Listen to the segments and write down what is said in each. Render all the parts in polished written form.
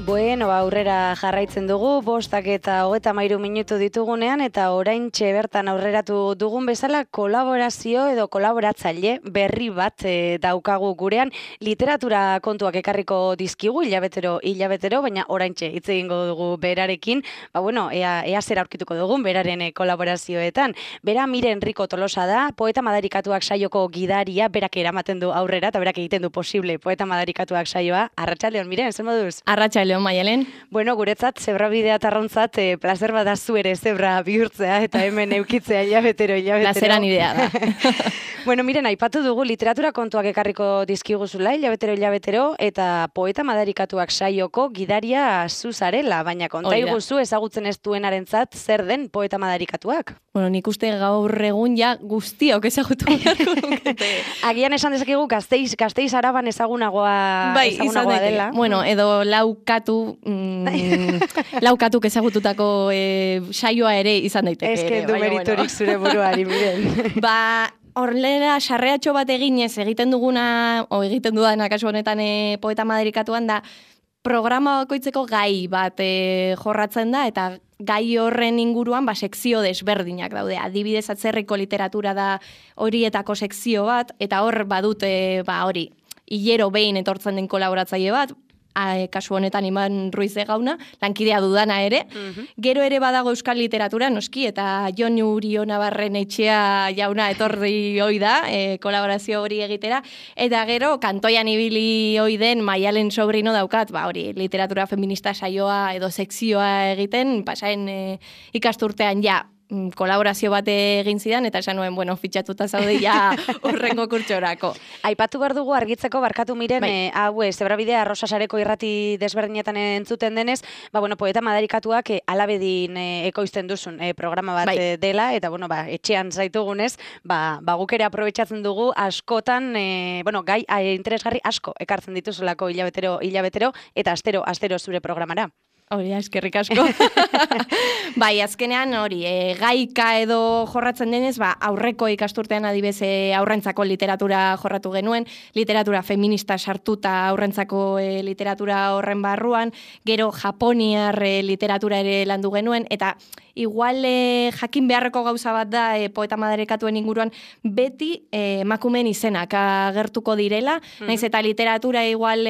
Bueno, aurrera jarraitzen dugu, 5:33 minutu ditugunean, eta oraintxe bertan aurreratu dugun bezala kolaborazio edo kolaboratzaile berri bat daukagu gurean. Literatura kontuak ekarriko dizkigu hilabetero, baina oraintxe hitz egingo dugu berarekin. Ea zer aurkituko dugun beraren kolaborazioetan. Bera Miren Rico Tolosa da, Poeta Madarikatuak saioko gidaria, berak eramaten du aurrera, eta berak egiten du posible Poeta Madarikatuak saioa. Arratsaldeon, Miren, zer moduz? Arratsaldeon, Maialen. Bueno, guretzat, zebra bidea tarrontzat, plazer bat da zu ere zebra bihurtzea, eta hemen eukitzea hilabetero. Plazeran idea da. Bueno, Miren, aipatu dugu literatura kontuak ekarriko dizkiguzula, hilabetero, eta Poeta Madarikatuak saioko gidaria zu zarela, baina konta iguzu ezagutzen ez duenarentzat zer den Poeta Madarikatuak? Bueno, nik uste gaur egun ja guztiok ezagutu beharko dukete. Agian esan dezakegu Gasteiz Araban ezagunagoa dela. Bueno, edo laukatuk ezagututako saioa ere izan daiteke. Ez que du meriturik zure buruari, Miren. Horrela, sarreatxo bat eginez egiten dudana kasu honetan Poeta Madarikatuan da, programa bakoitzeko gai bat jorratzen da, eta gai horren inguruan sekzio desberdinak daude. Adibidez, atzerriko literatura da horietako sekzio bat, eta hor badute hilero behin etortzen den kolaboratzaile bat, kasu honetan Iman Ruiz Gauna, lankidea dudana ere. Gero ere badago euskal literatura, noski, eta Jon Urio Navarren Etxea jauna etorri hoi da, kolaborazio hori egitera, eta gero kantoian ibili hoi den Maialen Sobrino daukat, literatura feminista saioa edo sekzioa egiten, pasaen ikasturtean kolaborazio bat egin zidan, eta esan nuen, fitxatuta zaude urrengo kurtsorako. Aipatu behar dugu argitzeko, barkatu Miren, zebra bidea Rosa Sareko irrati desberdinetan entzuten denez, Poeta Madarikatuak alabedin ekoizten duzun programa bat dela, eta etxean zaitugunez, guk ere aprobetxatzen dugu askotan, gai interesgarri asko ekartzen dituzulako hilabetero, eta astero zure programara. Hori, eskerrik asko. Azkenean gaika edo jorratzen denez, aurreko ikasturtean adibez aurrentzako literatura jorratu genuen, literatura feminista sartuta aurrentzako literatura horren barruan, gero japoniar literatura ere landu genuen, eta igual jakin beharreko gauza bat da Poeta Madarikatuen inguruan beti emakumeen izenak agertuko direla, naiz eta literatura igual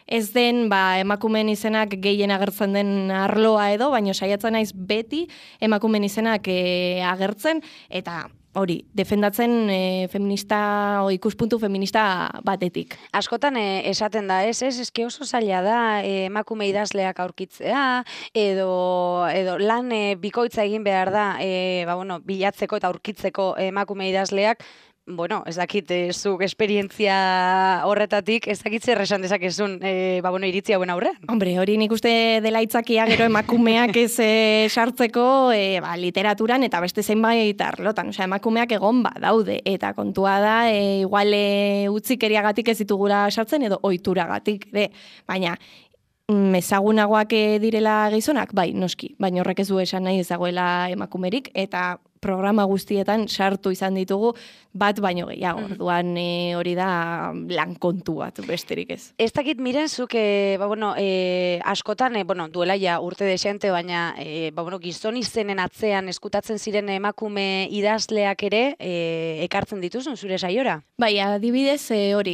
ez den emakumeen izenak gehien agertzen den arloa edo, baina saiatzen naiz beti emakumeen izenak agertzen, eta hori, defendatzen feminista o ikuspuntu feminista batetik. Askotan esaten da, eske oso zaila da emakume idazleak aurkitzea, edo lan bikoitza egin behar da, bilatzeko eta aurkitzeko emakume idazleak. Ez dakit, zuk esperientzia horretatik, ez dakit zer esan dezakezun, iritzi hauen aurrean. Hombre, hori nik uste dela itzakia gero emakumeak ez sartzeko literaturan eta beste zenbait arlotan. Emakumeak egon daude, eta kontua da, igual utzikeriagatik ez ditugula sartzen edo ohituragatik, baina ezagunagoak direla gizonak, noski, baina horrek ez du esan nahi ezagoela emakumerik, eta programa guztietan sartu izan ditugu bat baino gehiago. Orduan hori da lan kontu bat, besterik ez. Ez dakit Miren, zuk askotan, duela urte desente, baina gizon izenen atzean eskutatzen ziren emakume idazleak ere ekartzen dituzun zure saiora? Adibidez,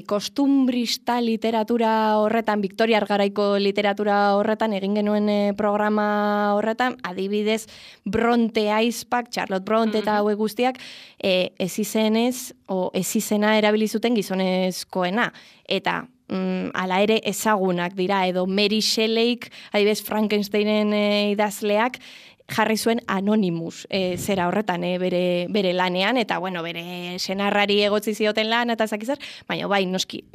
kostumbrista literatura horretan, Victoriar Garaiko literatura horretan, egin genuen programa horretan, adibidez, Bronte Aizpak, Charlotte Bronte eta hauek guztiak, ez izena erabili zuten gizonezkoena. Eta ala ere ezagunak dira, edo Mary Shelleyk, adibidez Frankensteinen idazleak, jarri zuen Anonymous zera horretan bere lanean, eta bere senarrari egotzi zioten lan, eta zakizar, baina noski,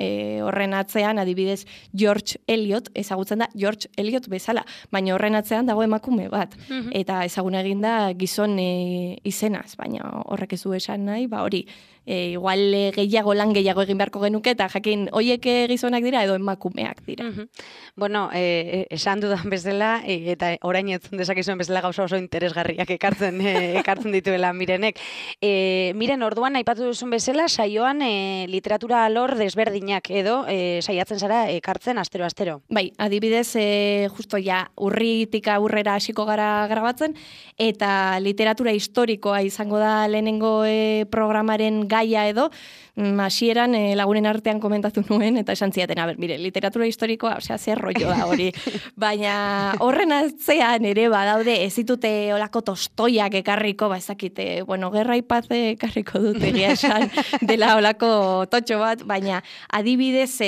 horren atzean, adibidez George Eliot, ezagutzen da George Eliot bezala, baina horren atzean dago emakume bat, eta ezaguna egin da gizon izenaz, baina horrek ez du esan nahi, hori, igual gehiago lan gehiago egin beharko genuke, eta jakin, hoiek gizonak dira edo emakumeak dira. Bueno, esan dudan bezala, eta orain etzun dezakizuen bezala gauza oso interesgarriak ekartzen dituela Mirenek. Miren, orduan, aipatu duzun bezala, saioan literatura alor desberdinak edo saiatzen zara ekartzen astero-astero. Bai, adibidez, justo ja, urritik aurrera hasiko gara grabatzen, eta literatura historikoa izango da lehenengo programaren gaia edo, hasieran lagunen artean komentatu nuen, eta esan ziaten, mire, literatura historikoa, osea, zer rollo da hori. Baina horren atzean ere badaude, ez ditute olako tostoiak ekarriko, ezakite, bueno, Gerra y Paz ekarriko dut egia esan dela olako totxo bat, baina adibidez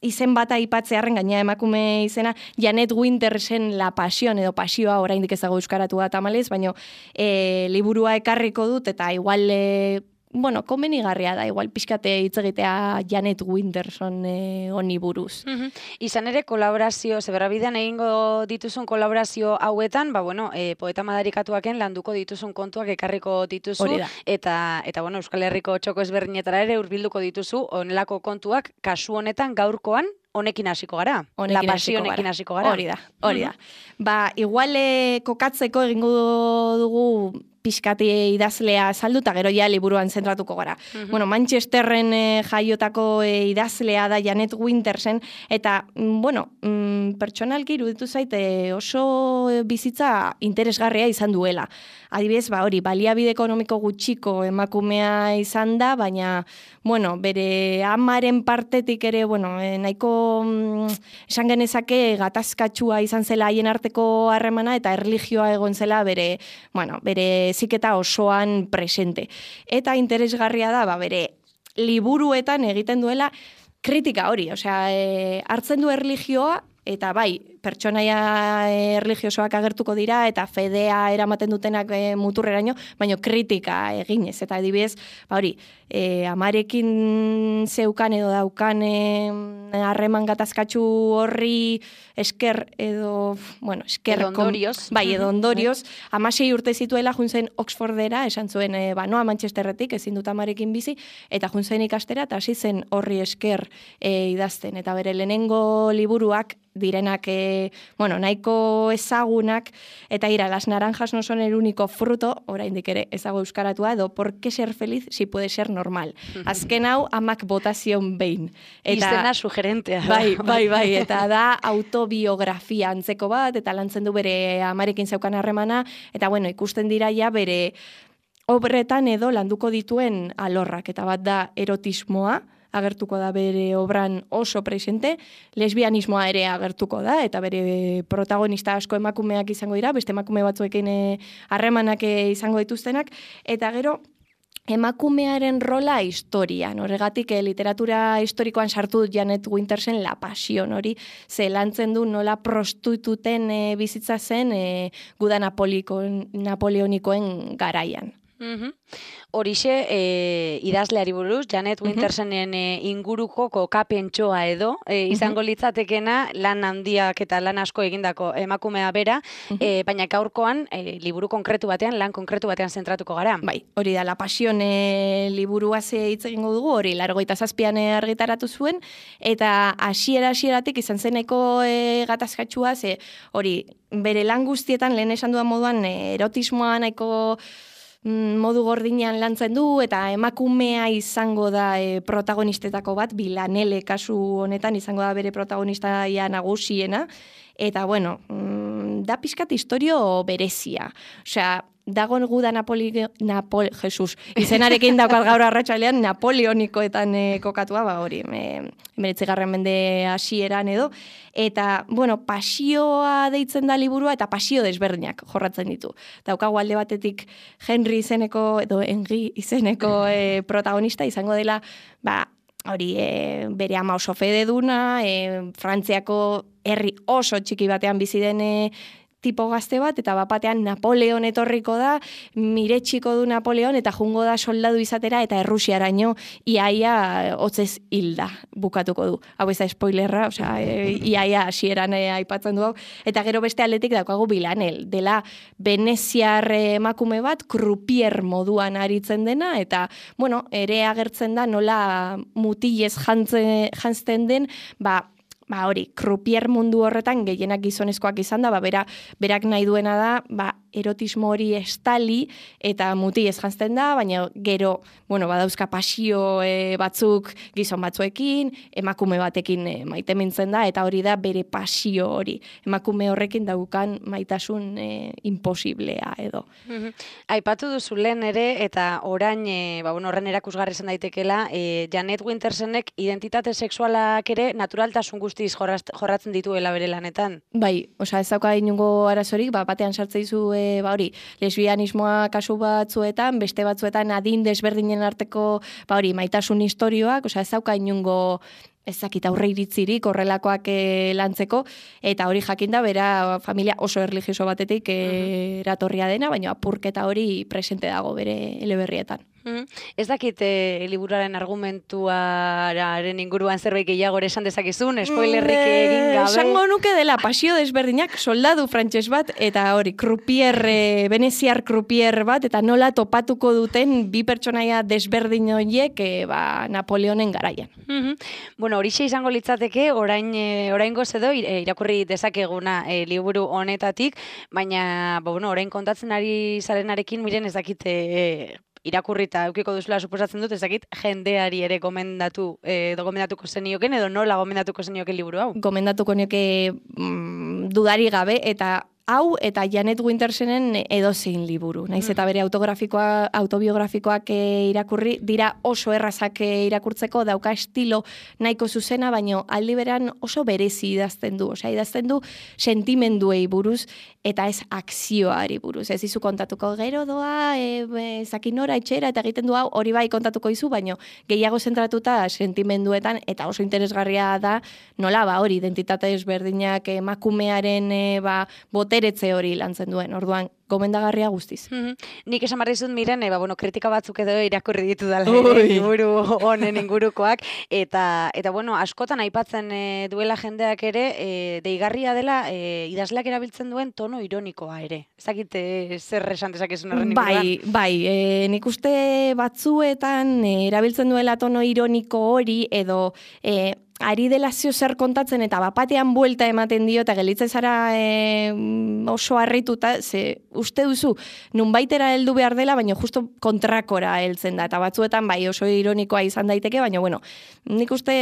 izen bat aipatzearren gaina emakume izena, Janet Wintersen La Pasión edo Pasioa, oraindik ez dago euskaratu da tamalez, baina liburua ekarriko dut, eta igual bueno, komenigarria da, igual pixkate hitz egitea Janet Winterson honi buruz. Izan ere, kolaborazio, zeberrabidean egingo dituzun kolaborazio hauetan, bueno, poeta madarikatuaken landuko dituzun kontuak ekarriko dituzu, eta bueno, Euskal Herriko txoko ezberdinetara ere hurbilduko dituzu, onelako kontuak, kasu honetan gaurkoan, honekin hasiko gara. La Pasionekin hasiko gara. Hori da. Ba, igual kokatzeko egingo dugu pixkati idazlea saldu, eta gero ja liburuan zentratuko gara. Bueno, Manchesterren jaiotako idazlea da Janet Wintersen, eta, bueno, pertsonalki iruditu zaite oso bizitza interesgarria izan duela. Adibidez, hori, baliabide ekonomiko gutxiko emakumea izan da, baina, bueno, bere amaren partetik ere, bueno, nahiko esan genezake gatazkatsua izan zela haien arteko harremana, eta erlijioa egon zela bere ziketa osoan presente. Eta interesgarria da, bere liburuetan egiten duela kritika hori, osea, hartzen du erlijioa, eta bai, pertsonaia erlijiosoak agertuko dira, eta fedea eramaten dutenak muturreraino, baina kritika eginez. Eta adibidez, hori, amarekin zeukan edo daukan harreman gatazkatsu horri esker edo, bueno, esker... Edo ondorioz. Bai, edo ondorioz. 16 urte zituela juntzen Oxfordera, esan zuen, noa Manchesterretik, ezin dut amarekin bizi, eta juntzen ikastera, eta hasi zen horri esker idazten. Eta bere lehenengo liburuak direnak, nahiko ezagunak, eta las naranjas no son el único fruto, oraindik ere ezago euskaratua, edo por qué ser feliz si puede ser normal. Azken hau, amak botazion behin. Izena sugerentea. Bai, eta da autobiografia antzeko bat, eta lantzen du bere amarekin zeukan harremana, eta bueno, ikusten dira ja bere obretan edo landuko dituen alorrak, eta bat da erotismoa, agertuko da bere obran oso presente, lesbianismoa ere agertuko da, eta bere protagonista asko emakumeak izango dira, beste emakume batzuekin harremanak izango dituztenak, eta gero emakumearen rola historian, horregatik literatura historikoan sartu dut Janet Wintersen La Pasión hori, ze lantzen du nola prostituten bizitza zen guda napoleonikoen garaian. Horixe, idazleari buruz, Janet Wintersenen inguruko kokapentsoa edo, izango litzatekena lan handiak eta lan asko egindako emakumea bera, baina gaurkoan liburu konkretu batean, lan konkretu batean zentratuko gara. Bai, hori da, La Pasión liburua hitz egingo dugu, hori 87an argitaratu zuen, eta hasieratik izan zeneko gatazkatsua, hori, bere lan guztietan, lehen esan dudan moduan, erotismoa nahiko modu gordinean lantzen du, eta emakumea izango da protagonistetako bat, Bilanele kasu honetan izango da bere protagonistaia nagusiena, eta bueno, da pixkat historio berezia. Osea, dago guda izenarekin daukat gaur arratsalean napoleonikoetan kokatua, hori, 19. mende hasieran edo, eta, bueno, pasioa deitzen da liburua, eta pasio desberdinak jorratzen ditu. Daukagu alde batetik Henry izeneko, edo Henry izeneko protagonista izango dela, hori, bere ama oso fededuna, Frantziako herri oso txiki batean bizi den tipo gazte bat, eta bapatean Napoleon etorriko da, miretxiko du Napoleon, eta jungo da soldadu izatera, eta Errusiaraino iaia hotzez hilda bukatuko du. Hau ez da spoilerra, osea, iaia hasieran aipatzen du hau. Eta gero beste aldetik daukagu Bilanel, dela veneziar emakume bat, krupier moduan aritzen dena, eta, bueno, ere agertzen da nola mutilez jantzten den, hori, krupier mundu horretan gehienak gizonezkoak izan da, berak nahi duena da, erotismo hori estali eta mutilez jantzten da, baina gero, badauzka pasio batzuk gizon batzuekin, emakume batekin maite mintzen da, eta hori da bere pasio hori. Emakume horrekin daukan maitasun imposiblea edo. Aipatu duzu lehen ere, eta orain, horren erakusgarri zen daitekela, Janet Wintersenek identitate sexualak ere naturaltasun guztiz jorratzen dituela bere lanetan. Bai, ez dauka inungo arazorik, batean sartze izu lesbianismoa kasu batzuetan, beste batzuetan adin desberdinen arteko, maitasun historioak, ez dauka inungo ezakit aurre iritzirik horrelakoak lantzeko, eta hori jakinda bera familia oso erlijioso batetik eratorria dena, baina apurketa hori presente dago bere eleberrietan. Ez dakit liburuaren argumentuaren inguruan zerbait gehiago esan dezakizun, spoilerrik egin gabe. Esango nuke dela pasio desberdinak soldadu frantses bat, eta hori, veneziar krupier bat, eta nola topatuko duten bi pertsonaia desberdin horiek Napoleonen garaian. Horixe izango litzateke, oraingoz edo irakurri dezakeguna liburu honetatik, baina orain kontatzen ari zarenarekin, miren ez dakit irakurrita eukiko duzula suposatzen dut, ezakit jendeari ere gomendatuko zenioken, edo nola gomendatuko zenioken liburu hau? Gomendatuko nioke dudari gabe, eta hau eta Janet Wintersenen edozein liburu. Naiz eta bere autobiografikoak irakurri, dira oso errazak irakurtzeko, dauka estilo nahiko zuzena, baino aldi beran oso berezi idazten du. Osea, idazten du sentimenduei buruz, eta ez akzioari buruz. Ez izu kontatuko gero doa, zakinora etxera, eta egiten du hau, hori bai kontatuko izu, baino gehiago zentratuta sentimenduetan, eta oso interesgarria da, nola hori identitate ezberdinak emakumearen boteretze hori lantzen duen. Orduan, gomendagarria guztiz. Nik esan barri zut, miren, kritika batzuk edo irakurri ditu dala liburu honen ingurukoak, eta askotan aipatzen duela jendeak ere, deigarria dela idazleak erabiltzen duen tono ironikoa ere. Ezakit zer esan dezakezun horren inguruan? Bai, nik uste batzuetan erabiltzen duela tono ironiko hori, edo ari dela zer kontatzen eta bapatean buelta ematen dio eta gelitzen zara oso harrituta, ze uste duzu nunbaitera heldu behar dela, baina justo kontrakora heltzen da, eta batzuetan bai oso ironikoa izan daiteke, baina nik uste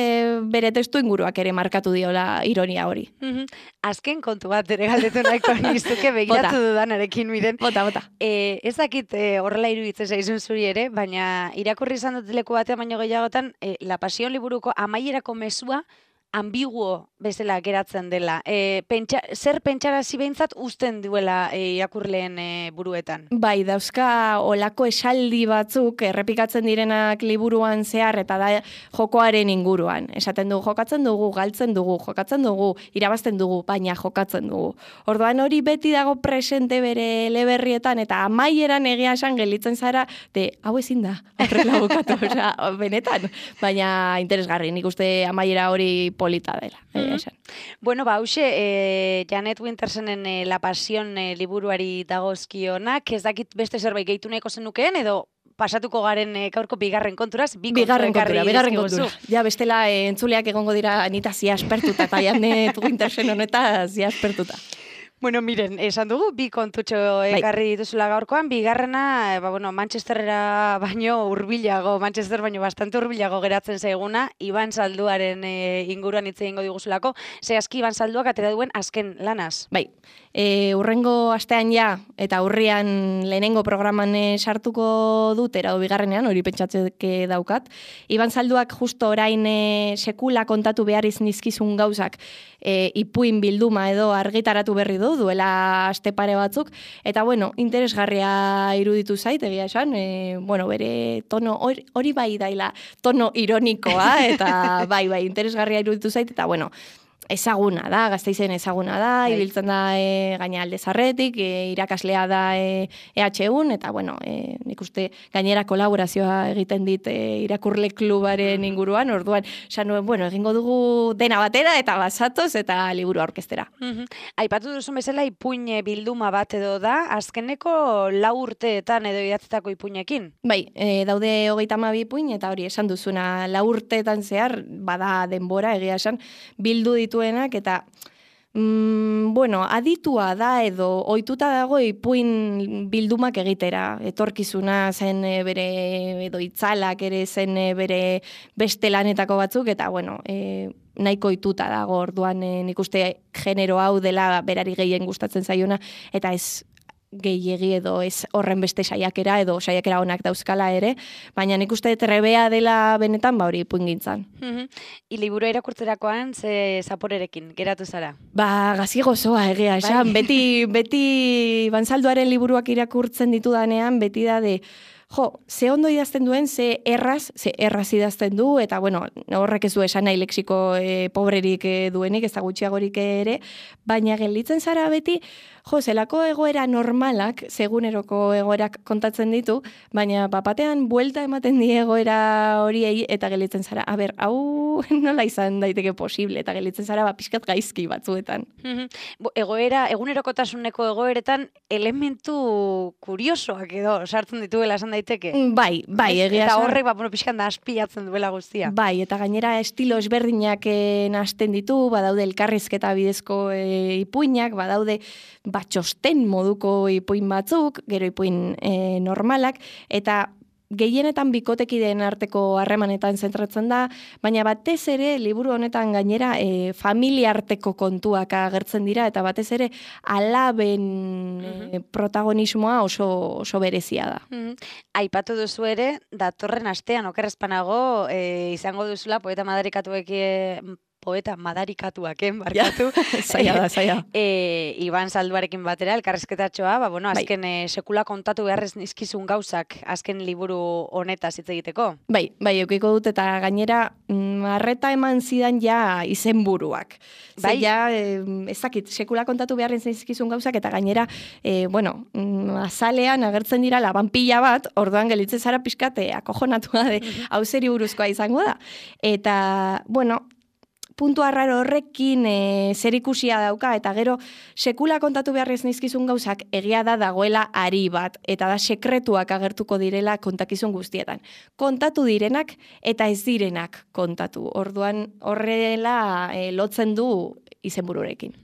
bere testu inguruak ere markatu diola ironia hori. Azken kontu bat ere galdetu nahiko nizuke begiratu dudanarekin, miren. Bota. Ez dakit horrela iruditzen zaizun zuri ere, baina irakurri izan dut leku batean baino gehiagotan, La Pasión liburuko amaierako mezua ambiguo bezala geratzen dela. Zer pentsarazi behintzat uzten duela irakurleen buruetan? Bai, dauzka olako esaldi batzuk errepikatzen direnak liburuan zehar eta da jokoaren inguruan. Esaten dugu, jokatzen dugu, galtzen dugu, jokatzen dugu, irabazten dugu, baina jokatzen dugu. Orduan hori beti dago presente bere eleberrietan eta amaieran egia esan gelitzen zara, hau ezin da, horrela bukatu, benetan. Baina interesgarri, nik uste amaiera hori polita dela. Hauxe, Janet Wintersenen La Pasión liburuari dagozkionak, ez dakit beste zerbait gehitu nahiko zenukeen, edo pasatuko garen gaurko bigarren konturaz, bigarren kontura. Ja, bestela entzuleak egongo dira anita zia aspertuta, eta Janet Wintersen honeta zia aspertuta. Miren, esan dugu, bi kontutxo ekarri dituzula gaurkoan, bigarrena, Manchesterrera baino hurbilago, Manchester baino bastante hurbilago geratzen zaiguna, Iban Zalduaren inguruan hitz egingo diguzulako, zehazki Iban Zalduak atera duen azken lanaz. Bai, urrengo astean ja, eta urrian lehenengo programan sartuko dut, erado bigarrenean, hori pentsatzeke daukat. Iban Zalduak justo orain sekula kontatu behar iznizkizun gauzak, ipuin bilduma edo argitaratu berri duela aste pare batzuk, eta interesgarria iruditu zait, egia esan, bere tono, hori bai daila, tono ironikoa, eta bai, interesgarria iruditu zait, eta ezaguna da, Gasteizen ezaguna da, ibiltzen da gaina alde zarretik, irakaslea da EHUn, eta bueno, nik uste gainera kolaborazioa egiten dit irakurle klubaren inguruan, orduan, nuen, bueno, egingo dugu dena batera, eta basatoz, eta liburu aurkeztera. Aipatu duzun bezala, ipuin bilduma bat edo da, azkeneko 4 urteetan edo idatzetako ipuinekin? Bai, daude 32 ipuin, eta hori esan duzuna 4 urteetan zehar, bada denbora, egia esan, bildu dituenak, eta bueno, aditua da edo ohituta dago ipuin bildumak egitera. Etorkizuna zen bere edo itzalak ere zen bere beste lanetako batzuk, eta bueno, nahiko ohituta dago orduan nik uste genero hau dela berari gehien gustatzen zaiona, eta ez gehiegi edo ez horren beste saiakera edo saiakera onak dauzkala ere, baina nik uste trebea dela benetan hori ipuingintzan. Liburu irakurtzerakoan ze zaporerekin geratu zara? Gazi gozoa egia esan, beti Banzalduaren liburuak irakurtzen ditudanean, beti da de ze ondo idazten duen, ze erraz idazten du, eta bueno, horrek ez du esan nahi lexiko pobrerik duenik, ez da gutxiagorik ere, baina gelditzen zara beti, zelako egoera normalak, seguneroko egoerak kontatzen ditu, baina bapatean buelta ematen die egoera horiei, eta gelditzen zara, hau nola izan daiteke posible, eta gelditzen zara pixkat gaizki batzuetan. Egunerokotasuneko egoeretan elementu kuriosoak edo sartzen dituela esan daiteke? Bai, egia eta horrek, pixkan da aspiatzen duela guztia. Bai, eta gainera estilo ezberdinak nahasten ditu, badaude elkarrizketa bidezko ipuinak, badaude txosten moduko ipuin batzuk, gero ipuin normalak, eta gehienetan bikotekideen arteko harremanetan zentratzen da, baina batez ere liburu honetan gainera familia arteko kontuak agertzen dira, eta batez ere alaben protagonismoa oso berezia da. Aipatu duzu ere, datorren astean okerrezpanago izango duzula poeta madarikatuaken, barkatu. Zaila. Iban Zalduarekin batera, elkarrezketatxoa, azken sekula kontatu beharrez nizkizun gauzak, azken liburu honetaz hitz egiteko. Bai, eukiko dut, eta gainera, arreta eman zidan ja izenburuak. Bai? Ezakit, sekula kontatu beharrez nizkizun gauzak, eta gainera, azalean agertzen dira labanpila bat, orduan gelitzen zara pixkate, akojonatua de, hau zeri buruzkoa izango da. Eta, puntu arraro horrekin zerikusia dauka, eta gero sekula kontatu beharrez nizkizun gauzak egia da dagoela ari bat, eta da sekretuak agertuko direla kontakizun guztietan. Kontatu direnak eta ez direnak kontatu. Orduan horrela lotzen du izenbururekin.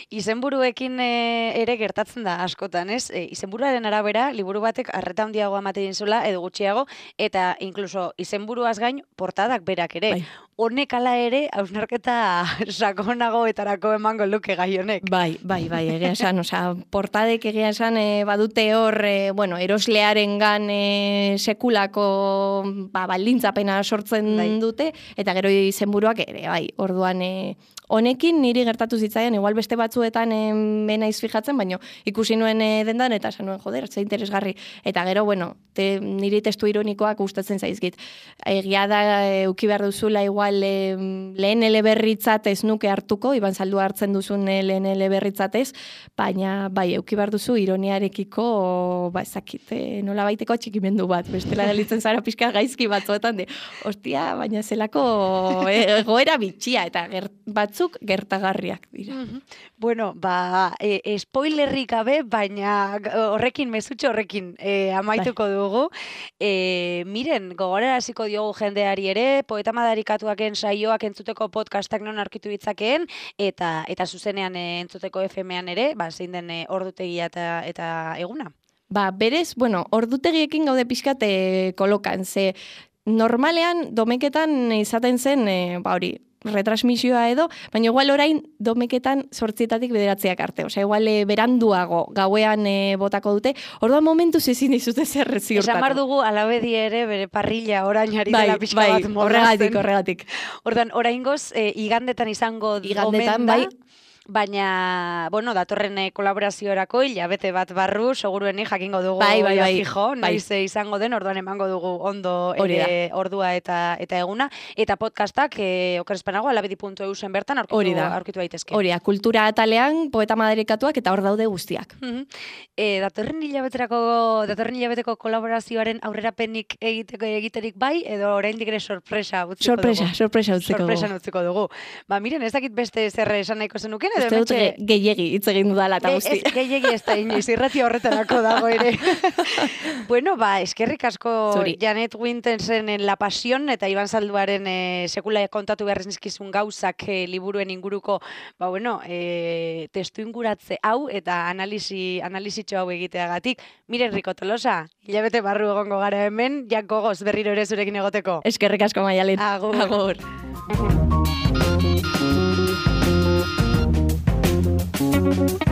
Izenburuekin ere gertatzen da askotan, ez? Izenburuaren arabera, liburu batek arreta handiago ematen zula edo gutxiago, eta inkluso izenburuaz gain portadak berak ere. Honek ala ere, hausnarketa sakonagoetarako emango luke gai honek. Bai, egia esan, portadek egia esan badute hor, eroslearengan sekulako baldintzapena sortzen dute, eta gero izenburuak ere, orduan honekin niri gertatu zitzaian, igual beste batzuetan benaiz fijatzen, baina ikusi nuen dendan, eta esan nuen, ze interesgarri. Eta gero, niri testu ironikoak gustatzen zaizkit. Egia da, euki behar duzula, igual lehen eleberritzat ez nuke hartuko, Iban Zaldua hartzen duzun lehen eleberritzatez, baina euki behar duzu ironiarekiko, ezakit, nola baiteko atxikimendu bat, bestela gelitzen zara pixka gaizki batzuetan, ostia, baina zelako egoera bitxia, eta batzuk gertagarriak dira. Spoilerrik gabe, baina horrekin, mezutxo horrekin amaituko dugu. Miren, gogoraraziko diogu jendeari ere, poeta madarikatuak saioak entzuteko podcastak non aurkitu ditzakeen, eta zuzenean entzuteko FM-an ere, zein den ordutegia eta eguna? Berez, ordutegiekin gaude pixkat kolokan, ze normalean domeketan izaten zen, retransmisioa edo, baina igual orain domeketan 8:00 bederatziak arte. Igual beranduago gauean botako dute. Orduan momentuz ezin dizute zer ziurtatu. Esan bar dugu alabedi ere bere parrilla orain ari dela pixka bat moldatzen. Horregatik. Orduan, oraingoz igandetan izango igandetan, bai. Baina, bueno, datorren kolaboraziorako hilabete bat barru, segurueni jakingo dugu Bai. fijo, naiz izango den, orduan emango dugu ondo ere ordua eta eguna. Eta podcastak, okerezpanago, alabedi.eu zen bertan aurkitu daitezke. Hori da, kultura atalean, poeta madarikatuak eta hor daude guztiak. Datorren hilabeteko kolaborazioaren aurrerapenik egiterik bai, edo oraindik ere sorpresa utziko dugu. Sorpresa utziko dugu. Ba, miren, ez dakit beste zer esan nahiko zenuken, uste dut gehiegi hitz egin dudala eta guzti. Gehiegi ez da inoiz, irrati horretarako dago ere. Bueno, ba, eskerrik asko Janet Wintersen La Pasión eta Iban Zalduaren sekula kontatu behar nizkizun gauzak liburuen inguruko, ba, bueno, testu inguratze hau eta analizitxo hau egiteagatik. Miren Riko Tolosa, hilabete barru egongo gara hemen, gogoz berriro ere zurekin egoteko. Eskerrik asko Maialen. Agur. Thank you.